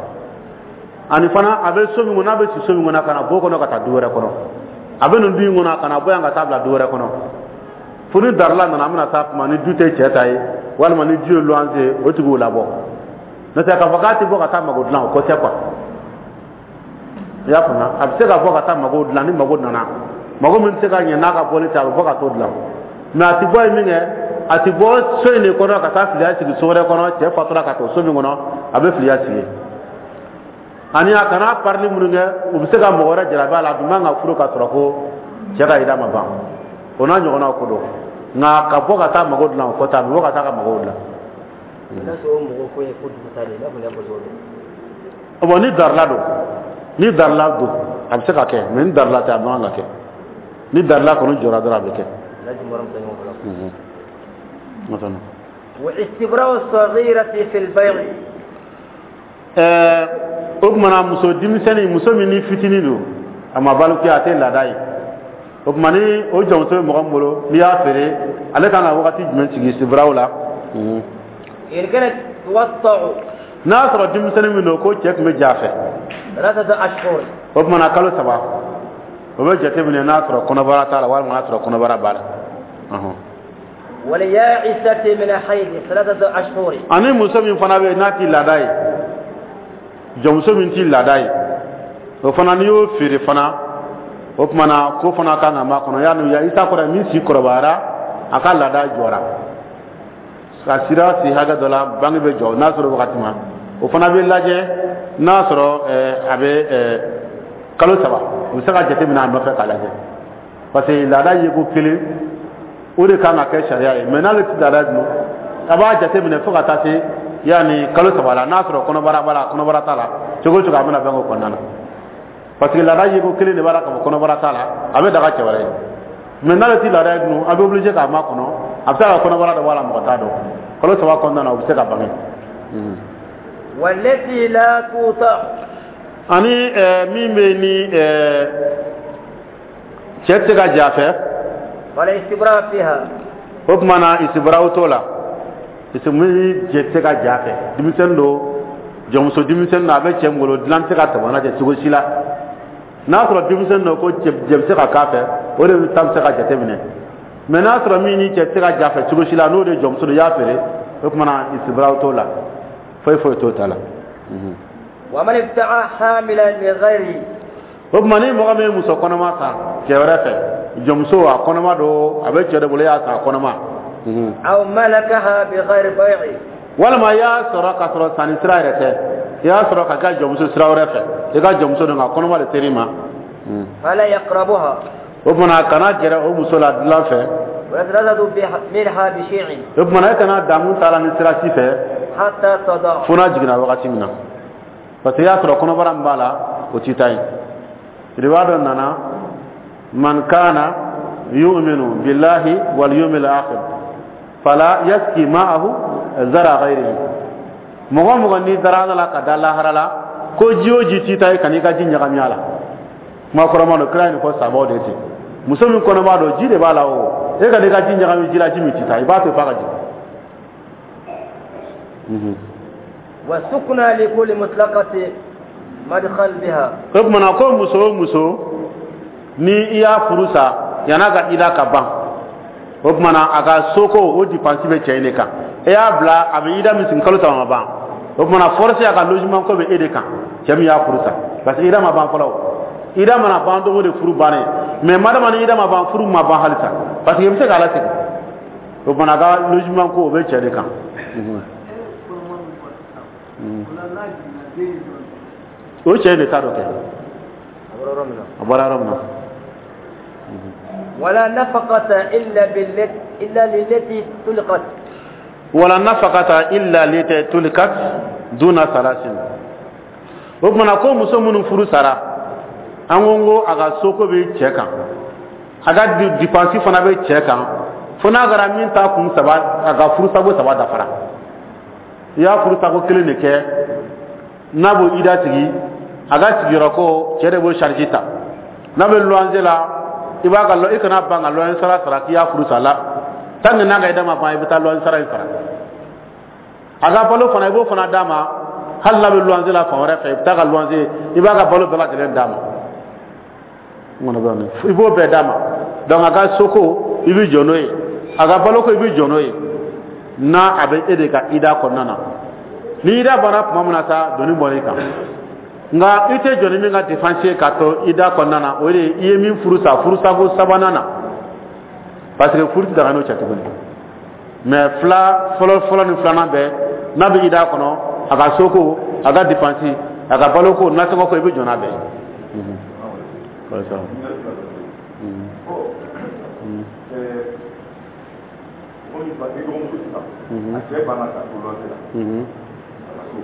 Ani fana, a bɛ so min kɔnɔ, n'a bɛ si so min kɔnɔ, a kana bɔ o kɔnɔ ka taa du wɛrɛ kɔnɔ. A bɛ nin du in kɔnɔ, a kana bɔ yan ka taa bila du wɛrɛ kɔnɔ. Fo ni darila nana, an bɛna taa kuma ni du tɛ cɛ ta ye, walima ni du ye luwanse ye, o tigi y'o labɔ. N'o tɛ, k'a fɔ k'a tɛ bɔ ka taa mago dilan, o ko tɛ quoi. I y'a faamuya? A bɛ se ka bɔ ka taa mago dilan ni mago nana, mago min tɛ se ka ɲɛ n'a ka bɔli tɛ, a bɛ bɔ ka t'o dilan. Mais a tɛ bɔ yen min kɛ, a tɛ bɔ so in de kɔnɔ ka taa filiya sigi so wɛrɛ kɔnɔ. Cɛ fatura ka to so min kɔnɔ, a bɛ filiya sigi. Ani a kana parili minnu kɛ, u bɛ se ka mɔgɔ wɛrɛ jarabi a la. A dun man ka furu ka sɔrɔ ko cɛ ka yira ma ban, o n'a ɲɔgɔnnaw ko don. Nka ka bɔ ka taa mago dilan, o kɔ tɛ, a bɛ bɔ ka taa ka mago dilan. N'a sɔrɔ o mɔgɔ ko ye ko dugu ta de ye, i n'a fɔ n y'a fɔ cogo min. Bon, ni darila don, ni darila don, a bɛ se ka kɛ. Mais ni darila tɛ, a man kan ka kɛ. Ni darila kɔni jɔra dɔrɔn, a bɛ kɛ. Laji mɔrɔ min tɛ ɲɔgɔn bolo. Masala. واستبراء الصغيرة في البيع. Ɛɛ, o tuma na, muso denmisɛnnin, muso min ni fitinin don, a ma balikuya, a tɛ laada ye. O tuma, ni o jɔnmuso bɛ mɔgɔ min bolo, n'i y'a feere, ale kan ka wagati jumɛn sigi sibiraw la? إن كانت توطأ. N'a y'a sɔrɔ denmisɛnnin min don ko cɛ tun bɛ ja a fɛ, ثلاثة أشهر. o tuma na, kalo saba, o bɛ jateminɛ n'a sɔrɔ kɔnɔbara t'a la walima n'a sɔrɔ kɔnɔbara b'a la. Ɔhɔn. واليائسة من الحيض ثلاثة أشهر. Ani muso min fana bɛ yen n'a ti laada ye, jɔnmuso min ti laada ye, o fana, n'i y'o feere fana, o tuma na, ko fana kan ka makɔnɔ yanni ya isa kɔrɔ min si kɔrɔbayara, a ka laada jɔra ka sira si hakɛ dɔ la, bange bɛ jɔ. N'a sɔrɔ wagati ma, o fana bɛ lajɛ n'a sɔrɔ ɛɛ a bɛ ɛɛ kalo saba, o bɛ se ka jateminɛ a nɔfɛ k'a lajɛ, parce que laada ye ko kelen, o de kan ka kɛ sariya ye. Mais n'ale ti laada dun, a b'a jateminɛ fo ka taa se yanni kalo saba la, n'a sɔrɔ kɔnɔbara b'a la, kɔnɔbara t'a la, cogo o cogo, a bɛna bange o kɔnɔna na, parce que laada ye ko kelen de b'a la k'a fɔ kɔnɔbara t'a la, a bɛ daga cɛ wɛrɛ ye. Mais n'ale ti laada ye dun, a bɛ obligé k'a makɔnɔ. A bɛ se ka kɔnɔbara dɔ bɔ a la, mɔgɔ t'a dɔn. Kalo saba kɔnɔna na, o bɛ se ka bange. والتي لا توطأ. Ani ɛɛ min bɛ yen ni ɛɛ cɛ tɛ se ka jɛ a fɛ, ولا استبراء فيها. O tuma na, isibaraw t'o la. Min cɛ tɛ se ka jɛ a fɛ, denmisɛnnin don, jɔnmuso denmisɛnnin don, a bɛ cɛ min bolo, dilan tɛ se ka tɛmɛ n'a cɛ cogo si la. N'a sɔrɔ denmisɛnnin don ko cɛ jɛ bɛ se ka k'a fɛ, o de bɛ ta bɛ se ka jateminɛ. Mais n'a sɔrɔ min ni cɛ tɛ se ka jɛ a fɛ cogo si la, n'o de ye jɔnmuso don, i y'a feere, o tuma na, isibaraw t'o la, foyi foyi t'o ta la. ومن ابتاع حاملا من غيره. O tuma, ni mɔgɔ min ye muso kɔnɔma san cɛ wɛrɛ fɛ, jɔnmuso, a kɔnɔma don, a bɛ cɛ de bolo, i y'a san a kɔnɔma. أو ملكها بغير بيع. Walima i y'a sɔrɔ k'a sɔrɔ sanni sira yɛrɛ tɛ, i y'a sɔrɔ ka kɛ jɔnmuso sira wɛrɛ fɛ, i ka jɔnmuso don, nka kɔnɔma de ser'i ma. فلا يقربها. O tuma, kana gɛrɛ o muso la dilan fɛ. ولا يتلذذ بها- منها بشيء. O tuma, e kana damu t'a la ni sira si fɛ حتى تضع. fo n'a jiginna wagati min na, parce que i y'a sɔrɔ kɔnɔbara min b'a la, o t'i ta ye. Riwaya dɔ nana: من كان يؤمن بالله واليوم الآخر فلا يسقي ماءه زرع غيره. Mɔgɔ o mɔgɔ n'i dara Ala la ka da lahara la, ko ji o ji t'i ta ye, kan'i ka ji ɲagami a la. Kuma kɔrɔma don, kira ye nin fɔ sabaw de ten. Muso min kɔnɔma don, ji de b'a la, o e ka n'i ka ji ɲagami ji la, ji min t'i ta, i b'a to f'a ka jigin. وسكنى لكل مطلقة مدخل بها. O tuma na, ko muso o muso ni i y'a furu sa yan'a ka ida ka ban, o tuma na, a ka soko o dépense bɛ cɛ in de kan. E y'a bila, a bɛ ida min sigi, kalo saba ma ban, o tuma na, forcé a ka logement ko bɛ e de kan, cɛ min y'a furu sa, parce que ida ma ban fɔlɔ. O ida mana ban don o de, furu bannen. Mais madama ni ida ma ban, furu ma ban halisa, parce que i bɛ se k'a lasegin. O tuma na, a ka logement ko, o bɛ cɛ de kan. Mm. O cɛ in de t'a dɔ kɛ, a bɔra yɔrɔ min na. ولا نفقة إلا بالتي إلا للتي طلقت. ولا نفقة إلا للتي طلقت دون ثلاث. O tuma na, ko muso minnu furu sara, an ko ko a ka soko bɛ cɛ kan, a ka dépense fana bɛ cɛ kan, fo n'a kɛra min ta kun saba, a ka furusako saba dafara. I y'a furusako kelen de kɛ, n'a b'o ida sigi, a ka sigiyɔrɔ ko, cɛ de b'o charge ta. N'a bɛ luwanse la, i b'a ka, i kana ban ka luwanse sara sara k'i y'a furu sa la. Tant que n'a ka ida ma ban, i bɛ taa luwanse sara in sara. A ka balo fana, i b'o fana d'a ma. Hali n'a bɛ luwanse la fan wɛrɛ fɛ, i bɛ taa ka luwanse, i b'a ka balo bɛɛ lajɛlen d'a ma, i b'o bɛɛ d'a ma. Donc a ka soko, i bɛ jɔ n'o ye, a ka baloko, i bɛ jɔ n'o ye, n'a a bɛ e de ka ida kɔnɔna na. Ni ida banna tuma min na sa, doni bɔra i kan. Nka i tɛ jɔ ni min ka dépense ye k'a to ida kɔnɔna na, o de ye i ye min furu sa furusako sabanan na, parce que furu tɛ daga n'o cɛ tuguni. Mais fila fɔlɔ fɔlɔ ni filanan bɛɛ, n'a bɛ ida kɔnɔ, a ka soko, a ka dépense, a ka baloko, nasɔngɔ ko, i bɛ jɔ n'a bɛɛ ye. A cɛ banna ka to lɔsi la, a ka so,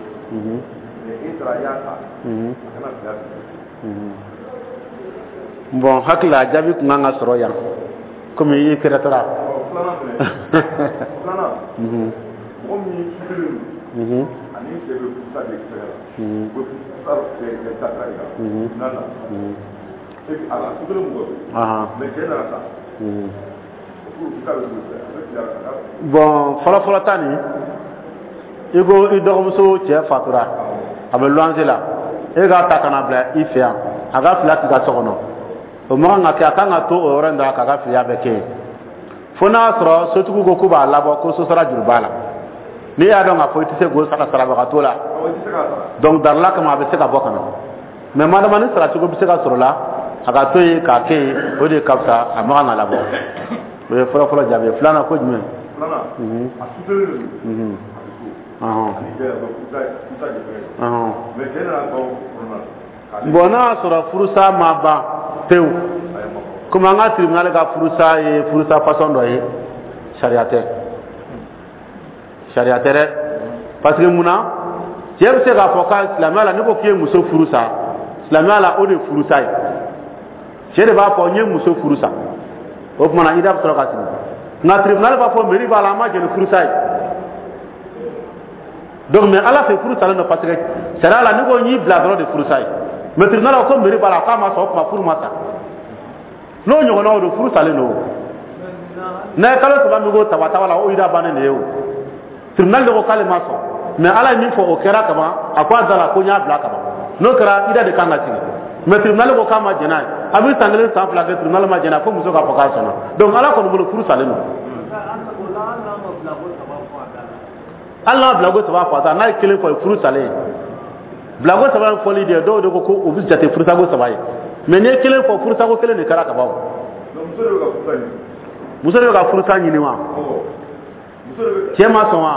mais e taara i y'a ta, a kana bila. Bon, hakili la a jaabi tun kan ka sɔrɔ yan komi i kɛrɛtɔra. Filanan fɛnɛ, filanan, mɔgɔ min sutelen don ani cɛ bɛ furusa de fɛngɛ la, u bɛ furusa kɛ dasira de kan na na et puis a la sutelen mɔgɔ don, mais cɛ nana sa. Bon, fɔlɔfɔlɔ ta nin, i ko i dɔgɔmuso cɛ fatura, a bɛ luwanse la, e k'a ta ka na bila i fɛ yan, a ka fila k'i ka so kɔnɔ, o man kan ka kɛ. A kan ka to o yɔrɔ in da k'a ka filiya bɛɛ kɛ yen, fo n'a y'a sɔrɔ sotigiw ko k'u b'a labɔ ko sosara juru b'a la. N'i y'a dɔn k'a fɔ i tɛ se k'o sara sarabaga t'o la, donc darila kama a bɛ se ka bɔ ka na. Mais madama ni saracogo bɛ se ka sɔrɔ la, a ka to yen k'a kɛ yen, o de ka fisa, a man kan ka labɔ. O ye fɔlɔ fɔlɔ jaabi ye. Filanan ko jumɛn? Filanan, a sutelen de don, a bɛ so, ani cɛ bɛ furusa furusa de fɛngɛ, mais cɛ nana ban kɔnɔna na. Bon, n'a y'a sɔrɔ furusa ma ban pewu, komi an ka tribunal ka furusa ye furusa façon dɔ ye, sariya tɛ, sariya tɛ dɛ. Parce que mun na cɛ bɛ se k'a fɔ k'a silamɛya la, ne ko k'i ye muso furu sa, silamɛya la o de ye furusa ye. Cɛ de b'a fɔ n ye muso furu sa, o tuma na ida bɛ sɔrɔ ka sigi. Nka tribunal b'a fɔ mairie b'a la, an ma jɛn ni furusa ye. Donc mais ala fɛ furu salen don, parce que sariya la n'i ko n y'i bila dɔrɔn de furusa ye. Mais tribunal ko mairie b'a la, k'a ma sɔn, o tuma furu ma sa. N'o ɲɔgɔnnaw don, furu salen don. N'a ye kalo saba min ko taba taba la, o ida bannen de ye o. Tribunal de ko k'ale ma sɔn, mais ala ye min fɔ o kɛra kaban, a ko a da la ko n y'a bila kaban, n'o kɛra ida de kan ka sigi. Mais tribunal ko k'a ma jɛn n'a ye, a bɛ san kelen san fila kɛ, tribunal ma jɛn n'a ye, fo muso k'a fɔ k'a sɔnna. Donc ala kɔni bolo furu salen don. Hali n'a bilako saba fɔ a ta, n'a ye kelen fɔ, ye furu salen ye. Bilako saba in fɔli de, dɔw de ko ko o bɛ jate furusako saba ye, mais n'i ye kelen fɔ, furusako kelen de kɛra ka ban. Muso de bɛ ka furusa ɲini wa? Cɛ ma sɔn wa?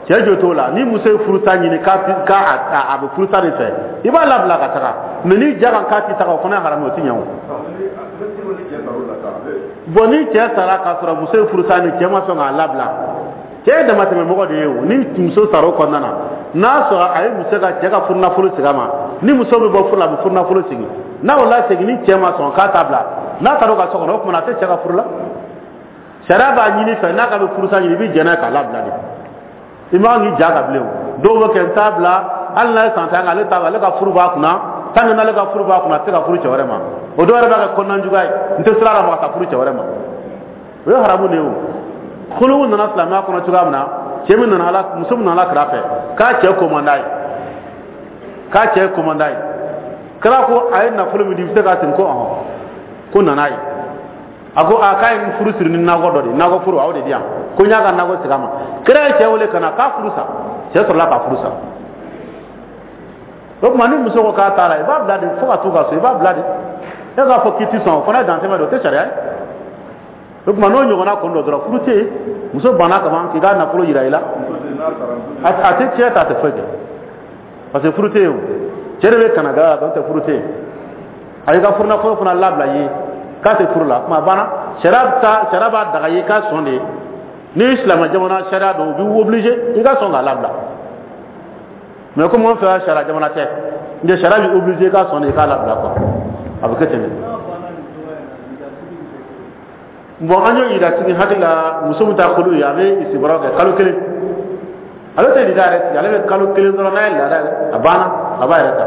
Cɛ jo t'o la. Ni muso ye furusa ɲini k'a a bɛ furusa de fɛ, i b'a labila ka taga. Mais n'i ja kan k'a ti taga, o fana ye haramu ye, o ti ɲɛ o. Bon, ni cɛ sara k'a sɔrɔ muso ye furusa ɲini, cɛ ma sɔn k'a labila, cɛ ye damatɛmɛ mɔgɔ de ye o. Ni muso sara o kɔnɔna na, n'a sɔrɔ a ye muso ka cɛ ka furunafolo segin a ma, ni muso bɛ bɔ furu la, a bɛ furunafolo segin. N'a o lasegin, ni cɛ ma sɔn k'a t'a bila, n'a taara o ka so kɔnɔ, o tuma na a tɛ cɛ ka furu la. Sariya b'a ɲini fɛ, n'a ka bɛ furusa ɲini, i bɛ jɛn n'a ye k'a labila de. I man k'i ja ka bilen o. Dɔw bɛ kɛ n t'a bila, hali n'a ye san tan kɛ, ale t'a ale ka furu b'a kunna. Tant que n'ale ka furu b'a kunna, a tɛ se ka furu cɛ wɛrɛ ma. O dɔw yɛrɛ b'a kɛ kɔnɔnajuguya ye, n tɛ sira la ma ka taa furu cɛ wɛrɛ ma, o ye haramu de ye o. Kolow nana silamɛya kɔnɔ cogoya min na, cɛ min nana ala, muso min nana kira fɛ k'a cɛ ko man d'a ye, k'a cɛ ko man d'a ye, kira ko a ye nafolo min di, i bɛ se k'a segin? Ko ɔhɔn, ko nana ye. A ko a k'a ye furu siri ni nakɔ dɔ de ye, nakɔ furu a y'o de di yan, ko n y'a ka nakɔ segin a ma. Kira ye cɛ wele ka na k'a furu sa, cɛ sɔrɔla k'a furu sa. O tuma ni muso ko k'a t'a la, i b'a bila de fo ka t'u ka so, i b'a bila de. E k'a fɔ k'i ti sɔn, o fana ye dantɛmɛ de, o tɛ sariya ye. O tuma n'o ɲɔgɔnna kɔni don dɔrɔn, furu tɛ yen, muso banna kaban k'i ka nafolo yira i la, a tɛ tiɲɛ ta, a tɛ foyi kɛ, parce que furu tɛ yen o. Cɛ de bɛ kana gara la, donc tɛ furu tɛ yen. A y'i ka furunafolo fana labila i ye k'a tɛ furu la, kuma banna. Sariya ta, sariya b'a daga i ye k'a sɔn de. Ni silamɛ jamana sariya don, u b'i obligé i ka sɔn k'a labila. Mais komi an fɛ yan sariya jamana tɛ, n tɛ sariya b'i obligé i ka sɔn de i k'a labila quoi, a bɛ kɛ ten de. Bon, an y'o yira sigi hakili la, muso min ta kolo ye, a bɛ isibɔrɔ kɛ kalo kelen, ale tɛ lida yɛrɛ sigi, ale bɛ kalo kelen dɔrɔn, n'a ye laada a banna, a b'a yɛrɛ ta.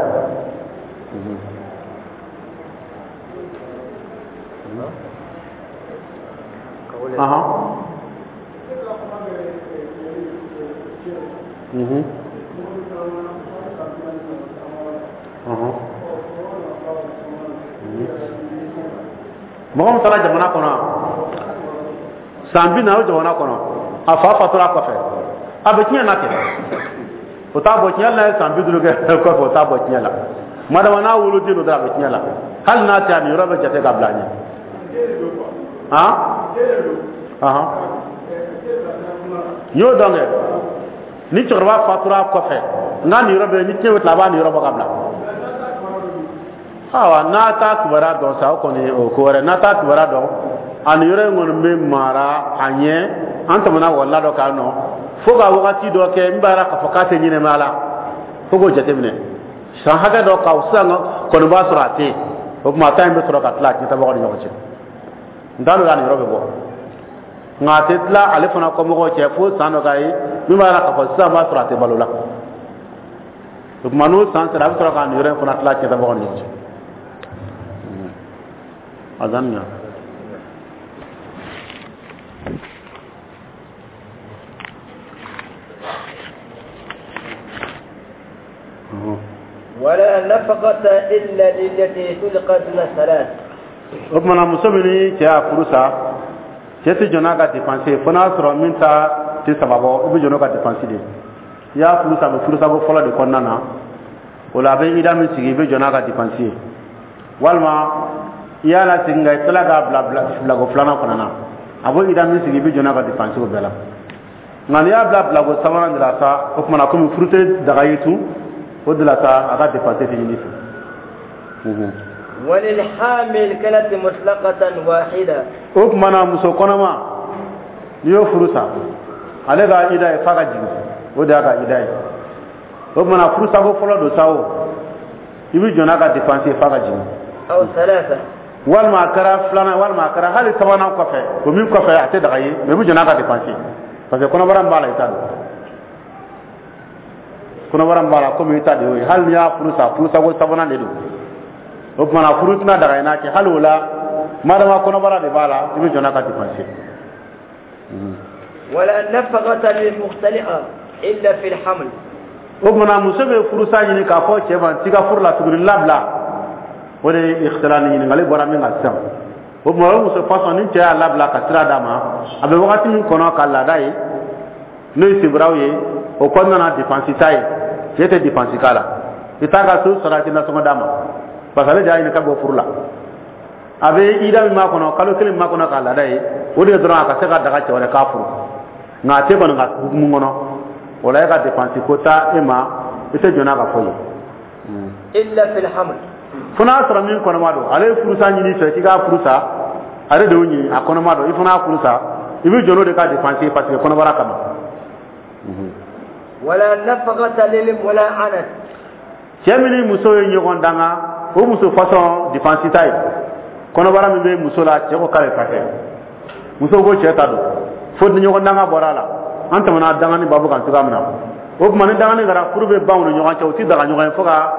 Ahan. Mhm. Ahan. Mɔgɔ min taara jamana kɔnɔ san bi naani, o jamana kɔnɔ, a fa fatura kɔfɛ, A bɛ tiɲɛ na kɛ, o t'a bɔ tiɲɛ la. Ye san bi duuru kɛ kɔfɛ, o t'a bɔ tiɲɛ la. Madama n'a woloden don dɔrɔn, a bɛ tiɲɛ la. Hali n'a tɛ, a nin yɔrɔ bɛ jate ka bila a ɲɛ. Han ahan, n y'o dɔn kɛ. Ni cɛkɔrɔba fatura kɔfɛ, n'a nin yɔrɔ bɛ ni tiɲɛ bɛ tila, a b'a nin yɔrɔ bɔ ka bila. Ayiwa, n'a t'a kibaruya dɔn sa, o kɔni o ko wɛrɛ. N'a t'a kibaruya dɔn, a nin yɔrɔ in kɔni bɛ mara a ɲɛ. An tɛmɛna wala dɔ kan nɔ fo ka wagati dɔ kɛ, n b'a yira k'a fɔ k'a tɛ ɲɛnɛmaya la, fo k'o jateminɛ san hakɛ dɔ kan sisan kɔni b'a sɔrɔ a tɛ yen. O tuma a ta in bɛ sɔrɔ ka tila a tiɲɛtabagaw ni ɲɔgɔn cɛ. N t'a dɔn a nin yɔrɔ bɛ bɔ, nka a tɛ tila ale fana kɔmɔgɔw cɛ fo san dɔ k'a ye min b'a yira k'a fɔ sisan b'a sɔrɔ a tɛ balo la. O tuma n'o san sera, a bɛ sɔrɔ k'a nin yɔrɔ in fana tila tiɲɛtabagaw ni ɲɔgɔn cɛ. Azan ya. ولا نفقة إلا للتي تلقى دون ثلاث. O tuma na muso min ni cɛ y'a furu sa, cɛ tɛ jɔ n'a ka dépense ye fo n'a sɔrɔ min ta tɛ saba bɔ, i bɛ jɔ n'o ka dépense de ye. I y'a furu sa, a bɛ furusako fɔlɔ de kɔnɔna na, o la a bɛ ida min sigi, i bɛ jɔ n'a ka dépense ye. Walima i y'a lasegin nka i tilala k'a bila bilako filanan fana na, a b'o ida min sigi, i bɛ jɔ n'a ka dépense o bɛɛ la. Nka n'i y'a bila bilako sabanan de la sa, o tuma na komi furu tɛ daga ye tun, o de la sa a ka dépense tɛ ɲini fɛ. وللحامل كانت مطلقة واحدة. O tuma na muso kɔnɔma, n'i y'o furu sa, ale ka ida ye f'a ka jigin, o de y'a ka ida ye. O tuma na furusako fɔlɔ don sa, o i bɛ jɔ n'a ka dépense ye f'a ka jigin. أو ثلاثة. Walima a kɛra filanan, walima a kɛra hali sabanan kɔfɛ, o min kɔfɛ a tɛ daga ye, mais i bɛ jɔ n'a ka dépense ye, parce que kɔnɔbara min b'a la, i t'a dɔn. Kɔnɔbara min b'a la, komi i ta de y'o ye, hali n'i y'a furu sa, furusako sabanan de don. O tuma na furu tɛna daga i n'a cɛ hali o la, madama kɔnɔbara de b'a la, i bɛ jɔ n'a ka dépense. ولا نفقة للمختلئة إلا في الحمل. O tuma na muso bɛ furusa ɲini k'a fɔ cɛ ma t'i ka furu la tuguni, labila. O de ye ikhtila ni ɲininkali bɔra min kan sisan. O tuma o muso fasɔn, ni cɛ y'a labila ka sira d'a ma, a bɛ wagati min kɔnɔ ka laada ye, n'o ye sibiraw ye, o kɔnɔna na dépense t'a ye, cɛ tɛ dépense k'a la, i t'a ka so sara, i tɛ nasɔngɔ d'a ma, parce que ale de y'a ɲini ka bɔ furu la. A bɛ ida min b'a kɔnɔ, kalo kelen min b'a kɔnɔ k'a laada ye, o de ye dɔrɔn a ka se ka daga cɛ wɛrɛ k'a furu, nka a tɛ kɔni ka hukumu kɔnɔ. O la e ka dépense ko taa e ma, i tɛ jɔ n'a ka fɔ ye. إلا في الحمل. Fo n'a sɔrɔ min kɔnɔma don, ale ye furusa ɲini fɛ k'i k'a furu sa, ale de y'o ɲini, a kɔnɔma don, i fana y'a furu sa, i bɛ jɔ n'o de ka dépense ye, parce que kɔnɔbara kama. ولا نفقة للملاعنة. Cɛ min ni muso ye ɲɔgɔn danga, o muso fasɔn dépense t'a ye. Kɔnɔbara min bɛ muso la, cɛ ko k'ale ta tɛ, muso ko cɛ ta don, fo ni ɲɔgɔn danga bɔra a la. An tɛmɛna dangani babu kan cogoya min na, o tuma ni dangani kɛra, furu bɛ ban u ni ɲɔgɔn cɛ, u ti daga ɲɔgɔn ye fo ka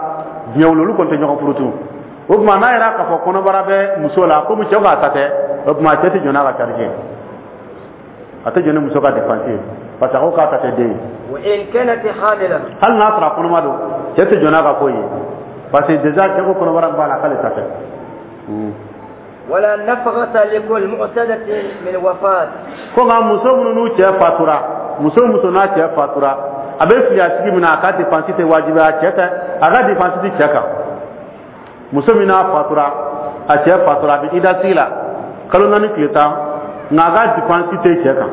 diɲɛ wuli, olu kɔni tɛ ɲɔgɔn furu tun. O tuma n'a yɛrɛ k'a fɔ kɔnɔbara bɛ muso la, komi cɛ k'a ta tɛ, o tuma cɛ tɛ jɔ n'a ka charge ye, a tɛ jɔ ni muso ka dépense ye, parce que a ko k'a ta tɛ den ye. وإن كانت حاملة. Hali n'a sɔrɔ a kɔnɔma don, cɛ tɛ jɔ n'a ka foyi ye, parce que déjà cɛ ko kɔnɔbara b'a la k'ale ta tɛ. ولا نفقة لكل معتدة من وفاة. Ko nka muso minnu n'u cɛ fatura, muso muso n'a cɛ fatura, a bɛ fili a sigi min na, a ka dépense tɛ wajibi a cɛ tɛ, a ka dépense tɛ cɛ kan. Muso min n'a fatura, a cɛ fatura, a bɛ ida sigi la kalo naani tile tan, nka a ka dépense tɛ cɛ kan.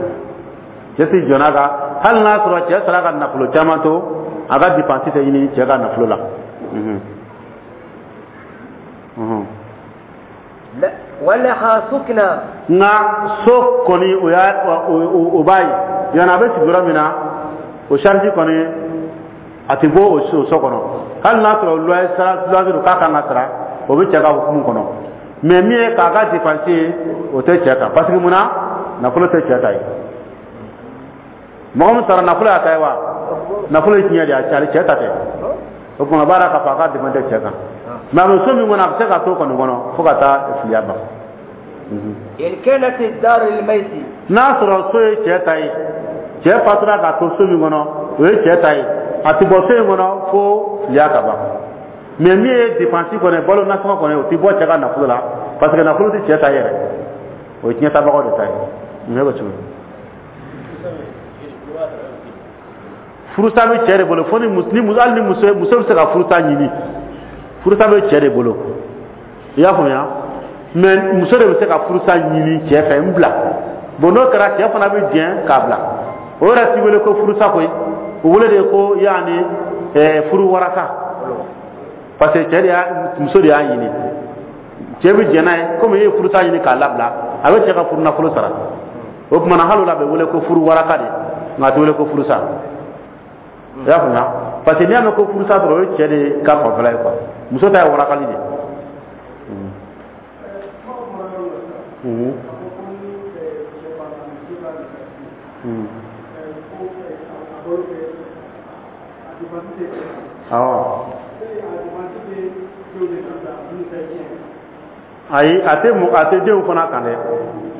Cɛ tɛ jɔ n'a ka, hali n'a sɔrɔ cɛ sara ka nafolo caman to, a ka dépense tɛ ɲini cɛ ka nafolo la. ولها سكنى. Nka so kɔni, o y'a o b'a ye yanni a bɛ sigi yɔrɔ min na, o charge kɔni a tɛ bɔ o so kɔnɔ. Hali n'a sɔrɔ loyer sara, loyer don k'a kan ka sara, o bɛ cɛ ka hukumu kɔnɔ. Mais min ye k'a ka dépense ye, o tɛ cɛ kan, parce que mun na, nafolo tɛ cɛ ta ye. Mɔgɔ min sara, nafolo y'a ta ye wa, nafolo ye tiɲɛ de ye, a cɛ ta tɛ. O tuma baara k'a fɔ a ka dépense tɛ cɛ kan, mais a bɛ so min kɔnɔ, a bɛ se ka to kɔni kɔnɔ fo ka taa filiya ban. إن كانت الدار للميت. N'a sɔrɔ so ye cɛ ta ye, cɛ fatura k'a to so min kɔnɔ, o ye cɛ ta ye, a tɛ bɔ so in kɔnɔ fo filiya ka ban. Mais min ye dépense kɔni, balo nasɔngɔ kɔni, o tɛ bɔ cɛ ka nafolo la, parce que nafolo tɛ cɛ ta yɛrɛ, o ye tiɲɛtabagaw de ta ye. Nin bɛ cogo di? Furusa bɛ cɛ de bolo, fo ni ni hali ni muso muso bɛ se ka furusa ɲini, furusa bɛ cɛ de bolo, i y'a faamuya? Mais muso de bɛ se ka furusa ɲini cɛ fɛ, n bila. Bon, n'o kɛra, cɛ fana bɛ jɛn k'a bila. O yɛrɛ ti wele ko furusa koyi, o wele de ko yaani ɛɛ furu waraka, parce que cɛ de y'a, muso de y'a ɲini, cɛ bɛ jɛn n'a ye. Komi e ye furusa ɲini k'a labila, a bɛ cɛ ka furu nafolo sara. O tuma na, hali o la, a bɛ wele ko furu waraka de, nka a tɛ wele ko furusa, i y'a faamuya? Parce que n'i y'a mɛn ko furusa dɔrɔn, o ye cɛ de ka fanfɛla ye quoi, muso ta ye warakali de ye. Mhm. Mhm. Awɔ. Ayi, a tɛ a tɛ denw fana kan dɛ,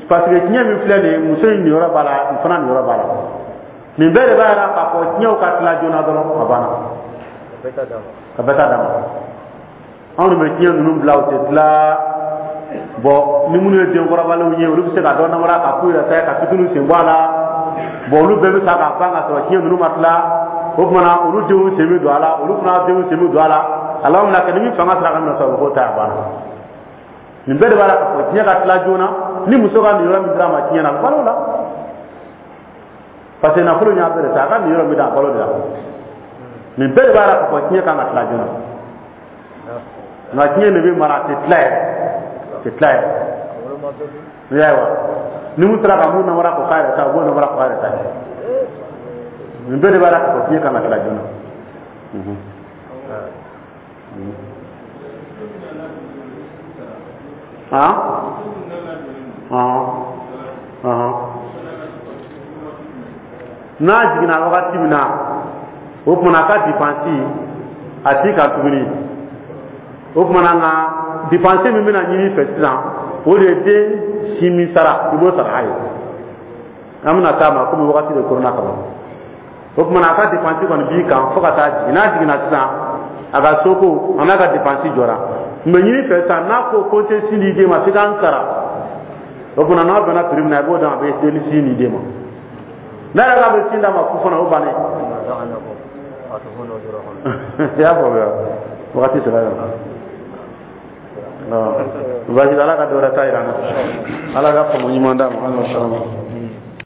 parce que tiɲɛ min filɛ nin ye, muso in niyɔrɔ b'a la, nin fana niyɔrɔ b'a la. Nin bɛɛ de b'a jira k'a fɔ tiɲɛw ka tila joona dɔrɔn, a banna, ka bɛɛ ta d'a ma. Anw de bɛ tiɲɛ ninnu bila, u tɛ tila. Bon, ni minnu ye denkɔrɔbalenw ye, olu bɛ se ka dɔ namara ka k'u yɛrɛ ta ye, ka fitininw sen bɔ a la. Bon, olu bɛɛ bɛ sa k'a ban ka sɔrɔ tiɲɛ ninnu ma tila. O tuma na, olu denw sen bɛ don a la, olu fana denw sen bɛ don a la. A laban bɛna kɛ ni min fanga sera ka minɛ sɔrɔ, o bɛ k'o ta ye, a banna. Nin bɛɛ de b'a la k'a fɔ tiɲɛ ka tila joona. Ni muso ka niyɔrɔ min dira a ma tiɲɛ na, a bɛ balo la, parce que nafolo y'a bɛɛ de ta, a ka niyɔrɔ min d'a a balo de la. Nin bɛɛ de b'a la k'a fɔ tiɲɛ kan ka tila joona, nka tiɲɛ de bɛ mara, a tɛ tila yɛrɛ, a tɛ tila yɛrɛ. I y'a ye wa? Ni mun sera ka mun namara k'o k'a yɛrɛ ta, o b'o namara k'o k'a yɛrɛ ta ye. Nin bɛɛ de b'a la k'a fɔ tiɲɛ kan ka tila joona. Ah? Ah. Ah. N'a jiginna wagati min na, o tuma na, a ka dipansi a t'i kan tuguni. O tuma na, nka dipansi min bɛna ɲini i fɛ sisan, o de ye den si min sara, i b'o sara a ye. An bɛna s'a ma, komi wagati de koronna ka ban. O tuma na, a ka dipansi kɔni b'i kan fo ka taa jigin. N'a jiginna sisan, a ka soko a n'a ka dipansi jɔra. N bɛ ɲini fɛ sisan, n'a ko ko n tɛ sin di den ma, f'i ka n sara. O tuma na, n'a bɛnna prix min na, i b'o dɔn, a bɛ den sin di den ma. N'a yɛrɛ k'a bɛ sin d'a ma fu fana, o bannen. I y'a faamuya? Wagati sera yan. Baasi, Ala ka dɔ wɛrɛ ta yira an na. Ala ka faamu ɲuman d'a ma. Ala.